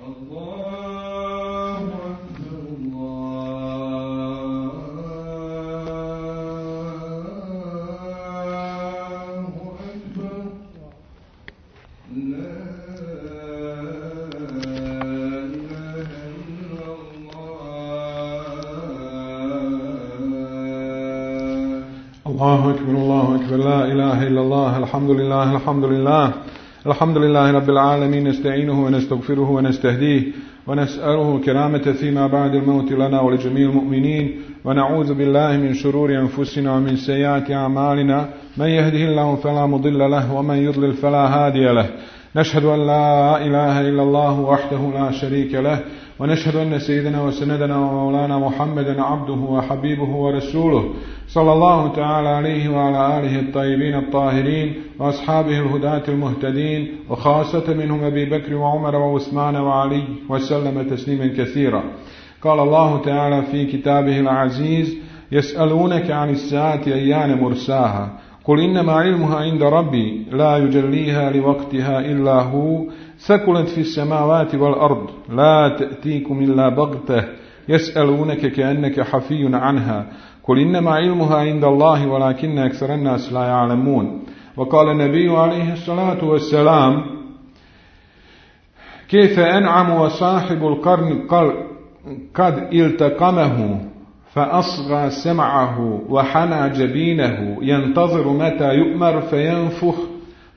الله أكبر لا إله إلا الله الحمد لله الحمد لله رب العالمين نستعينه ونستغفره ونستهديه ونسأله كرامة فيما بعد الموت لنا ولجميع المؤمنين ونعوذ بالله من شرور أنفسنا ومن سيئات أعمالنا من يهده الله فلا مضل له ومن يضلل فلا هادي له نشهد أن لا إله إلا الله وحده لا شريك له ونشهد أن سيدنا وسندنا ومولانا محمدا عبده وحبيبه ورسوله صلى الله تعالى عليه وعلى آله الطيبين الطاهرين وأصحابه الهداة المهتدين وخاصة منهم أبي بكر وعمر وعثمان وعلي وسلم تسليما كثيرا. قال الله تعالى في كتابه العزيز يسألونك عن الساعة أيان مرساها قل إنما علمها عند ربي لا يجليها لوقتها إلا هو ثقلت في السماوات والأرض لا تأتيكم إلا بغتة يسألونك كأنك حفي عنها قل إنما علمها عند الله ولكن أكثر الناس لا يعلمون. وقال النبي عليه الصلاة والسلام كيف أنعم وصاحب القرن قد التقمه فأصغى سمعه وحنى جبينه ينتظر متى يؤمر فينفخ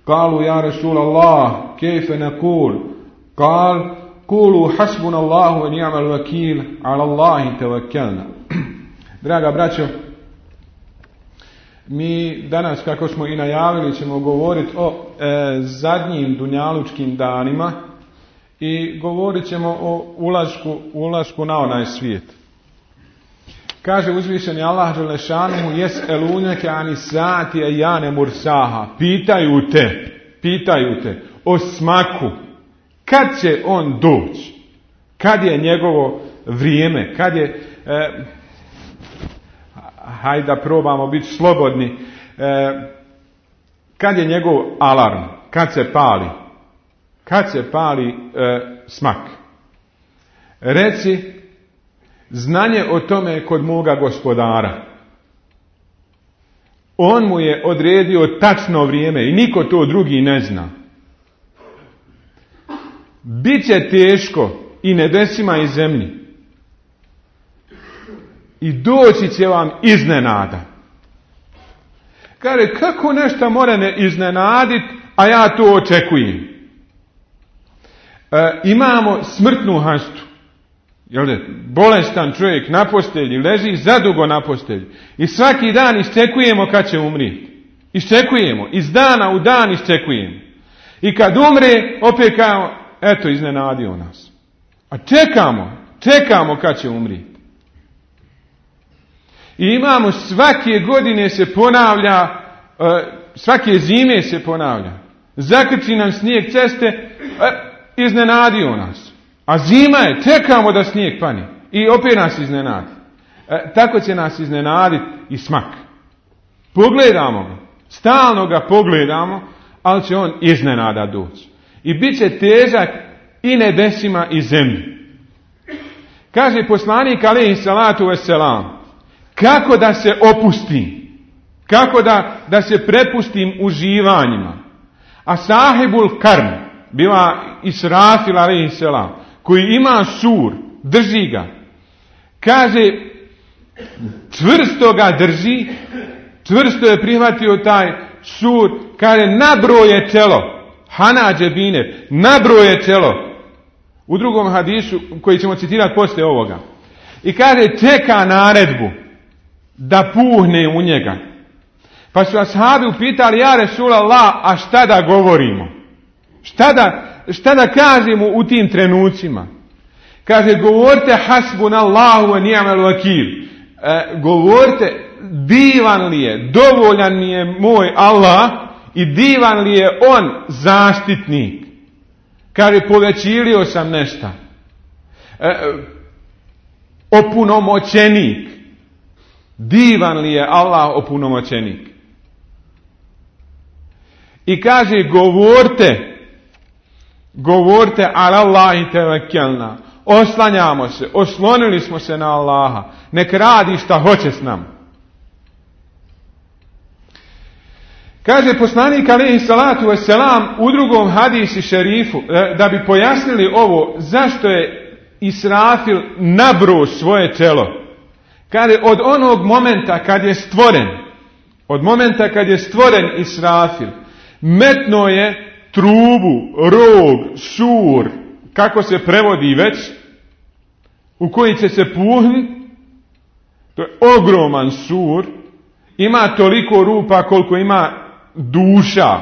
قالوا يا رسول الله كيف نقول قال قولوا حسبنا الله ونعم الوكيل على الله توكلنا. Draga braćo, mi danas, kako smo i najavili, ćemo govoriti o zadnjim dunjalučkim danima i govorit ćemo o ulasku na onaj svijet. Kaže uzvišeni Allah dželešanuhu jes'eluneke ani saati ejane mursaha, pitaju te o smaku, kad će on doći, kad je njegovo vrijeme, kad je hajde da probamo biti slobodni, kad je njegov alarm, kad se pali smak. Reci, znanje o tome kod moga gospodara. On mu je odredio tačno vrijeme i niko to drugi ne zna. Biće teško i nebesima i zemlji. I doći će vam iznenada. Kaže, kako nešto mora ne iznenaditi, a ja to očekujem. Imamo smrtnu hastu. Bolestan čovjek na postelji, leži zadugo na postelji. I svaki dan iščekujemo kad će umrijeti. Iščekujemo, iz dana u dan iščekujemo. I kad umre, opet kao, eto, iznenadio nas. A čekamo kad će umrijeti. I imamo svake godine se ponavlja, svake zime se ponavlja. Zakrči nam snijeg ceste, iznenadio nas. A zima je, čekamo da snijeg pane. I opet nas iznenadi. Tako će nas iznenaditi i smak. Pogledamo ga, stalno ga pogledamo, ali će on iznenada doći. I bit će težak i nebesima i zemlji. Kaže poslanik alejhi salatu vesselam, kako da se opustim, kako da se prepustim uživanjima. A sahibul karm, bila Israfil alejhi selam, koji ima sur, drži ga. Kaže, čvrsto ga drži, čvrsto je prihvatio taj sur, kaže, nabroje čelo, hana džebine, nabroje čelo. U drugom hadisu, koji ćemo citirati poslije ovoga. I kaže, čeka naredbu da puhne u njega. Pa su ashabi upitali, ja Resulallah, a šta da govorimo? Šta da kažemo u tim trenucima? Kaže, govorite hasbunallahu wa ni'mal vakil. Govorite, divan li je, dovoljan mi je moj Allah i divan li je on zaštitnik. Kaže, povećilio sam nešto. Opunomoćenik. Divan li je Allah Govorite ala Allahi tevekkelna. Oslanjamo se, oslonili smo se na Allaha. Nek radi šta hoće s nama. Kaže poslanik alejhi salatu vesselam u drugom hadisi šerifu, da bi pojasnili ovo, zašto je Israfil nabro svoje telo. Kaže, od onog momenta kad je stvoren Israfil, metno je trubu, rog, sur, kako se prevodi već, u koji će se puhnuti. To je ogroman sur, ima toliko rupa koliko ima duša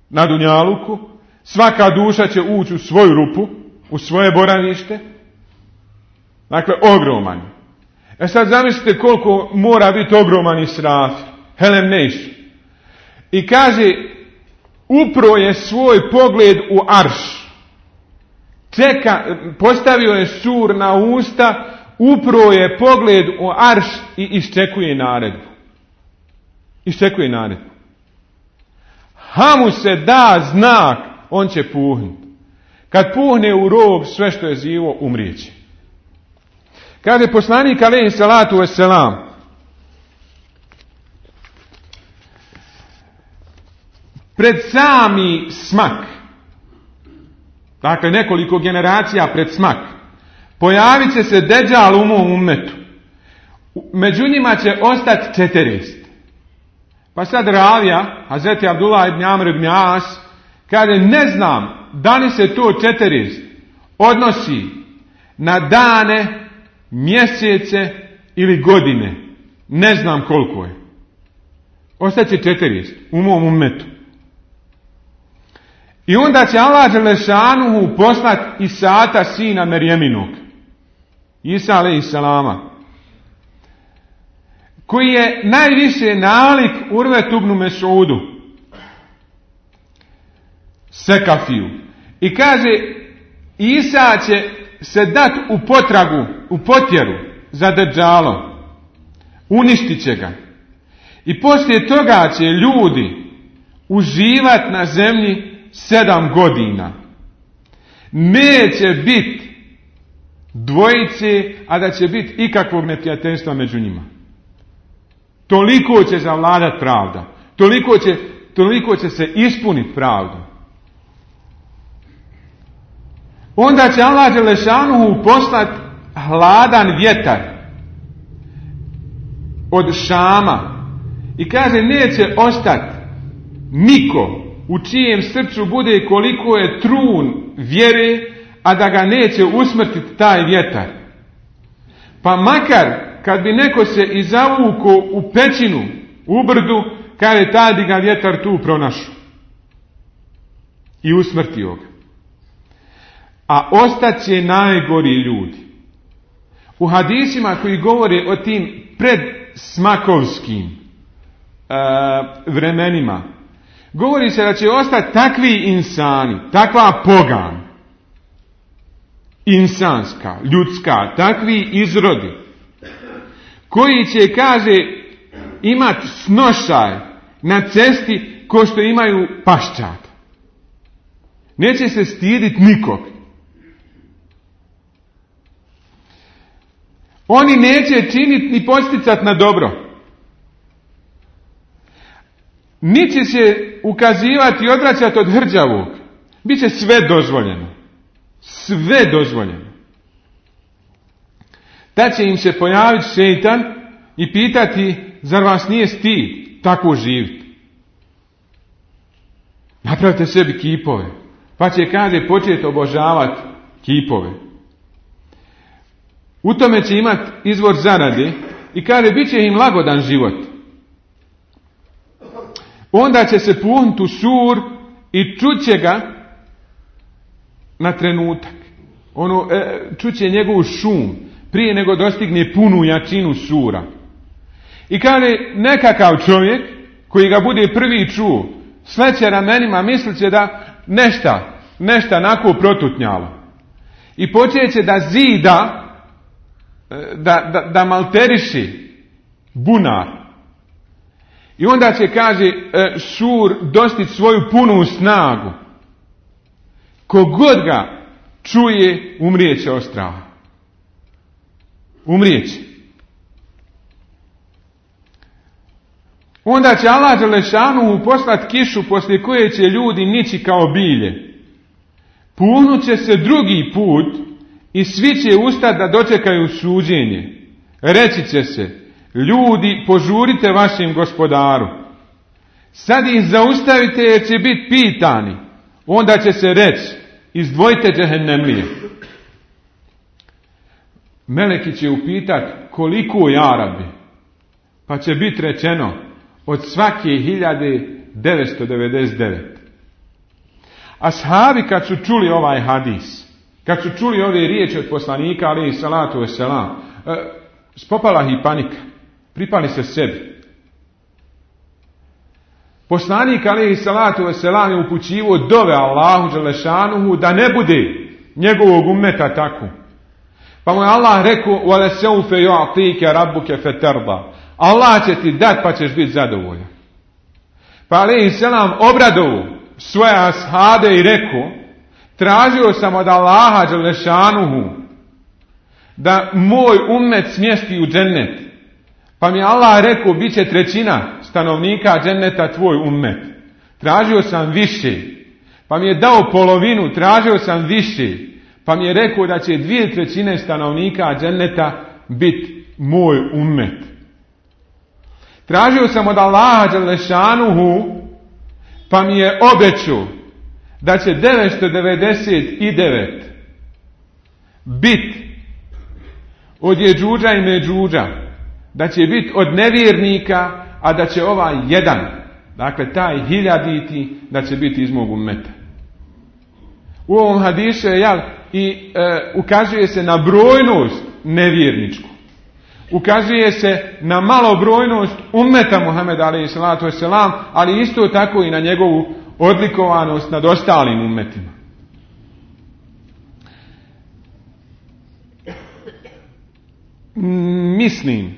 na dunjaluku. Svaka duša će ući u svoju rupu, u svoje boravište. Dakle, ogroman. Sad zamislite koliko mora biti ogroman Israfil. Helem neiš. I kaže, upro je svoj pogled u arš. Postavio je sur na usta, upro je pogled u arš i iščekuje naredbu. Ha mu se da znak, on će puhnuti. Kad puhne u rog, sve što je živo umrijeće. Kaže poslanik alejhi salatu vesselam, pred sami smak, dakle nekoliko generacija pred smak, pojavit će se Deđal u mom ummetu. Među njima će ostati 40. Pa sad ravija, Hazreti Abdullah ibn Amr ibn As, kaže, ne znam da li se to 40 odnosi na dane, mjesece ili godine. Ne znam koliko je. Ostaće 40 u mom ummetu. I onda će Allah dželešanuhu poslati Isata, sina Merjeminog, Isa alejhi salama, koji je najviše nalik Urvetu ibn Mesudu, Sekafiju. I kaže, Isa će se dati u potragu, u potjeru za Deđalom. Uništit će ga. I poslije toga će ljudi uživati na zemlji 7 godina. Neće biti dvojice, a da će biti ikakvog neprijateljstva među njima. Toliko će zavladati pravda. Toliko će se ispuniti pravda. Onda će Allah dželešanuhu poslati hladan vjetar od Šama. I kaže, neće ostati niko u čijem srcu bude koliko je trun vjere, a da ga neće usmrtiti taj vjetar. Pa makar kad bi neko se izavuko u pećinu, u brdu, kaže, tad bi ga vjetar tu pronašao i usmrtio ga. A ostaće najgori ljudi. U hadisima koji govore o tim predsmakovskim vremenima, govori se da će ostati takvi insani, takva pogan, insanska, ljudska, takvi izrodi, koji će, kaže, imati snošaj na cesti ko što imaju paščad. Neće se stiditi nikog. Oni neće činiti ni posticati na dobro. Ni će se ukazivati i odvraćati od hrđavog. Biće sve dozvoljeno. Sve dozvoljeno. Tad će im se pojaviti šejtan i pitati, zar vas nije stid tako živjeti? Napravite sebi kipove. Pa će, kaže, početi obožavati kipove. U tome će imati izvor zarade i kaže, bit će im lagodan život. Onda će se puhnuti u sur i čuće ga na trenutak. Čuće njegovu šum prije nego dostigne punu jačinu sura. I kaže, nekakav čovjek koji ga bude prvi čuo, sleće ramenima, mislit će da nešta nako protutnjalo. I počeće da zida, da malteriši bunar. I onda će, kaže, sur dostići svoju punu snagu. Kogod ga čuje, umrijeće od straha. Umrijeće. Onda će Allah dželešanu poslati kišu poslije koje će ljudi nići kao bilje. Punut će se drugi put i svi će ustati da dočekaju suđenje. Reći će se, ljudi, požurite vašem gospodaru. Sad ih zaustavite jer će biti pitani. Onda će se reći, izdvojite džehennemlije. Meleki će upitati koliko ja Rabbi. Pa će biti rečeno od svake 1999. Ashabi kad su čuli ovaj hadis, kad su čuli ove riječi od poslanika alejhi salatu vesselam, spopala ih panika, pripali se sebi. Poslanik alejhi salatu vesselam je upućivao dove Allahu dželešanuhu da ne bude njegovog ummeta tako. Pa mu je Allah rekao: "Wala sawfa yu'tika rabbuka fatarda." Allah će ti dati pa ćeš biti zadovoljan. Pa alejhi selam obradovao svoje ashabe i rekao: tražio sam od Allaha dželešanuhu da moj ummet smjesti u džennet. Pa mi Allah rekao, bit će 1/3 stanovnika dženneta tvoj ummet. Tražio sam više. Pa mi je dao polovinu, tražio sam više. Pa mi je rekao da će 2/3 stanovnika dženneta biti moj ummet. Tražio sam od Allaha dželešanuhu, pa mi je obećao da će 999 biti od Jeđuđa i Međuđa, da će biti od nevjernika, a da će ovaj jedan, dakle taj 1000, da će biti iz mog ummeta. U ovom hadisu ukazuje se na brojnost nevjerničku. Ukazuje se na malobrojnost ummeta Muhameda alejhi salatu vesselam, ali isto tako i na njegovu odlikovanost nad ostalim ummetima. Mislim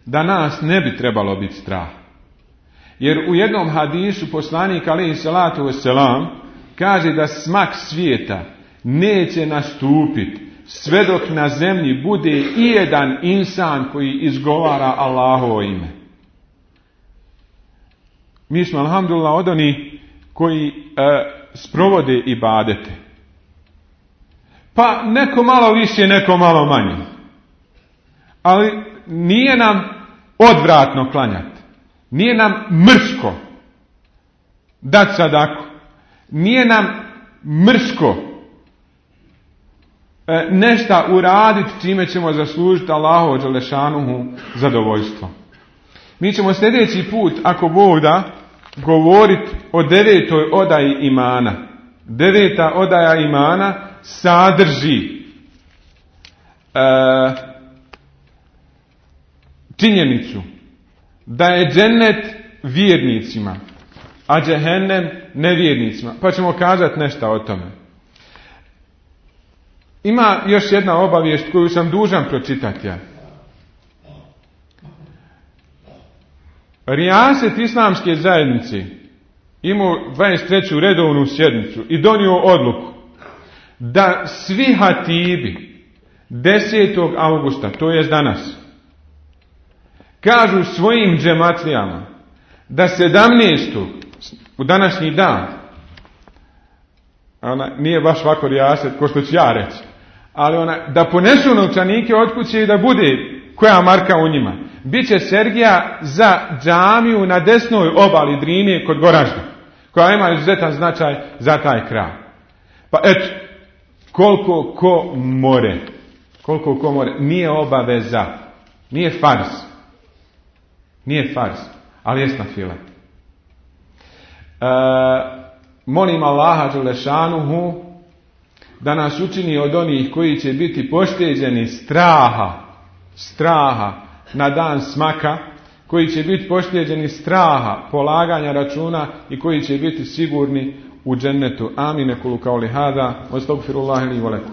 da nas ne bi trebalo biti strah. Jer u jednom hadisu poslanik alejhi salatu vesselam kaže da smak svijeta neće nastupiti sve dok na zemlji bude i jedan insan koji izgovara Allahovo ime. Mi smo alhamdulillah od onih koji sprovode ibadete. Pa neko malo više, neko malo manje. Ali nije nam odvratno klanjati. Nije nam mrsko dati sadaku. Nije nam mrsko nešto uraditi čime ćemo zaslužiti Allahovo dželešanuhu zadovoljstvo. Mi ćemo sljedeći put, ako Bog da, govoriti o 9. odaji imana. 9. odaja imana sadrži činjenicu da je džennet vjernicima, a džehennem nevjernicima. Pa ćemo kazati nešto o tome. Ima još jedna obavijest koju sam dužan pročitati. Rijaset islamske zajednice imao 23. redovnu sjednicu i donio odluku da svi hatibi 10. augusta, to jest danas, kažu svojim džematlijama da 17. u današnji dan, nije baš ovako rijaset ko što ću ja reći, ali da ponesu novčanike od kuće i da bude koja marka u njima. Biće Sergija za džamiju na desnoj obali Drine kod Goražda, koja ima izuzetan značaj za taj kraj. Pa eto, koliko ko more, nije obaveza, nije farz, ali jest nafila. Molim Allaha dželešanuhu da nas učini od onih koji će biti pošteđeni straha na dan smaka, koji će biti pošteđeni straha polaganja računa i koji će biti sigurni u džennetu. Amin. Kulu kauli hada, astagfirullahi li wa lakum.